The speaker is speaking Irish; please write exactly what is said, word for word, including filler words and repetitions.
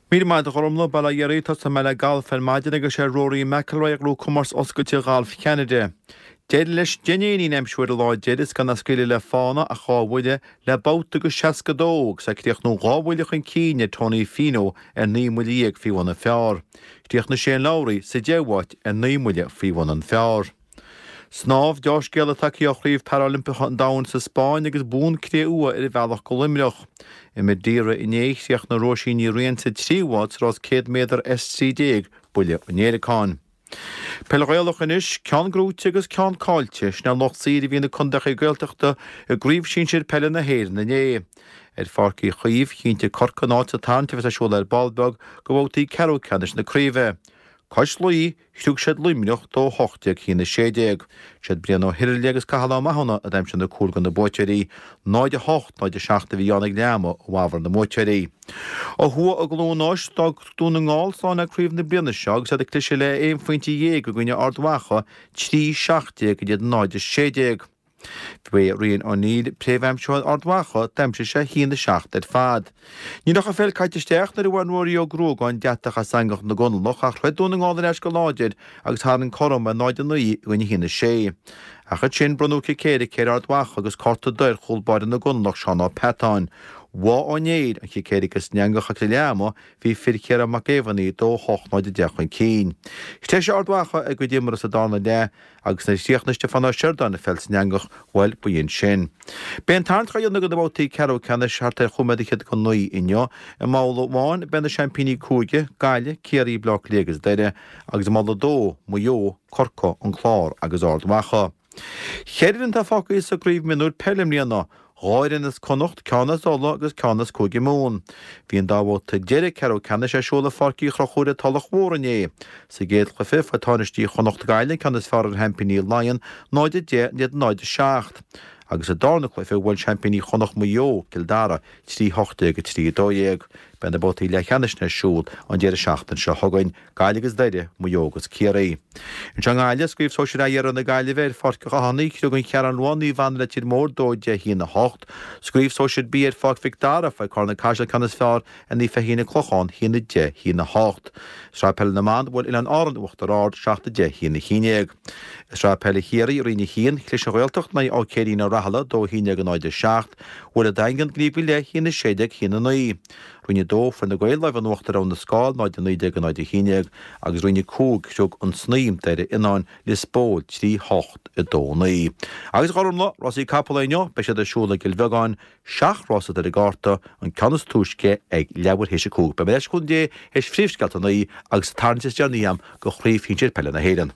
Míle maith agat a Ghormlaith, bail ó Dhia oraibh, tosóidh mé le galf ar maidin agus sé Rory McIlroy a ghnóthaigh comórtas oscailte Ghalf Cheanada. D'éirigh leis deich n-éinín a aimsiú ar an lá deiridh is gan á scaoileadh le fána ach dhá bhuille le babhta agus seasca dó agus é ag críochnú dhá bhuille chun cinn ar Tony Finau ar naoi mbuille dhéag faoi bhun an phar. Chríochnaigh Shane Lowry sa deichiú háit ar naoi mbuille faoi bhun an phar. Snámh, Deá-scéala tagtha ó Chraobh Parailimpeacha an Domhain sa Spáinn agus bonn cré-umha ar a bhealach go Luimneach. I Madeira inné, chríochnaigh Róisín Ní Riain sa tríú háit sa rás céad méadar S trí déag, buille an fhéileacáin. Peil Ghaelach anois, ceann gnóite agus ceann caillte, sin é lucht saoir a bhí na contaetha Gaeltachta i gCraobh Shinsir Peile na hÉireann inné. Ar Pháirc Uí Chaoimh, chinntigh Corcaigh a n-áit sa tarraingt a bheas ar siúl ar ball beag do bhabhtaí ceathrú ceannais na craoibhe. Cois Laoi, chriúigh siad Luimneach dó hocht déag a haon a sé déag. Siad Brian Ó hIrle agus Cathal Ó Mathúna a d'aimsigh na cúil do na buaiteoirí. náid a hocht, náid a seacht a bhí ann ag leath ama i bhfabhar na mbuaiteoirí. Ó thuaidh i gCluain Eois, d'fhág Dún na nGall slán le craobh na bliana seo agus iad ag cliseadh le aon phointe dhéag i gcoinne Ard Mhacha, trí seacht déag in éadan náid a sé déag. Ba é Rian O'Neill príomhaimsitheoir Ard Mhacha, d'aimsigh sé a haon a seacht ar fad. Ní raibh an pheil caite isteach nuair a bhain Ruairí Ó Gruagáin deatach as eangach na gConallach ach throid Dún na nGall ar ais go láidir agus tharraing cothrom ar náid a naoi i gcoinne a haon a sé. Ach ansin bronnadh cic éirice ar Ard Mhacha agus cárta dubh ar chúl báire na gConallach Seán Ó Peatáin. Bháigh Ó Néill an chic éirice san eangach agus ag leath ama bhí fir Chiarán Mac Géibheannaigh dó a hocht náid a deich chun cinn. Threisigh Ard Mhacha a gcuid imeartha sa darna leath agus nuair a chríochnaigh Stiofán Ó Seireadáin an pheil san eangach, bhuel, b'in sin. Beidh an tarraingt á dhéanamh do na babhtaí ceathrú ceannais thart ar chúig nóiméad fhichead go naoi inniu. I mbabhla amháin beidh na seaimpíní cúige, Gaillimh, Ciarraí, Bleá Cliath agus Doire, agus i mbabhla a dó, Maigh Eo, Corcaigh, An Clár agus Ard Mhacha. Ceithre fhoireann atá fágtha sa gcraobh mionúir peile i mbliana, dhá fhoireann as Connacht, ceann as Ulaidh agus ceann as Cúige Mumhan. Bhí an dá bhabhta deiridh ceathrú ceannais ar siúl i Pháirc Uí Chonchúir i Tulach Mhór inné. Sa gcéad chluiche, fuair tánaistí Chonnacht Gaillimh an ceann is fearr ar sheaimpíní Laighean, náid a deich in éadan náid a seacht. Agus sa darna cluiche, bhuail seaimpíní Chonnacht Maigh Eo, Cill Dara, trí hocht déag a trí a dó dhéag. Beidh na babhtaí leathcheannais ar siúl an deireadh seachtaine seo chugainn, Gaillimh agus Doire, Maigh Eo agus Ciarraí. Anseo i nGaillimh, sa gCraobh Sóisir A Iarthar na Gaillimhe ar Pháirc an Chathánaigh, chriúigh an Cheathrú Rua Naomh Anna Leitir Móir dó deich a haon a hocht. Sa gCraobh Sóisir B ar Pháirc Mhic Dara, fuair Carna Caiseal ceann is fearr ar Naomh Feichín an Clochán, a haon a deich, a haon a hocht. I Sraith Peile na mBan, bhuail Oileáin Árann Uachtar Ard, seacht a deich, a haon a haon déag. I Sraith Peile Chiarraí, Roinn a haon, chlis an Ghaeltacht in aghaidh Áth Céirín Ó Rathaille, dó a haon déag a náid a seacht. Bhuail an Daingean Gníomh go leith, a haon a sé déag, a haon a naoi. Roinn a dó, fuair na Gaeil lámh in uachtar ar Abha na Scáil, náid a naoi déag a náid a haon déag, agus Roinn a cúig, chriúigh an Snaidhm, Doire Fhionáin, Lios Póil, trí hocht a dó naoi. Agus a Ghormlaith, rásaí capall inniu, beidh siad ar siúl i gCill Bheagáin, seacht rás atá ar an gcárta, an ceann is túisce ag leathuair théis a cúig. Beidh mé ar ais le cúnamh Dé théis phríomhscéalta a naoi agus an tarraingt is deireanaí agam do Chraobh Shinsir Peile na hÉireann.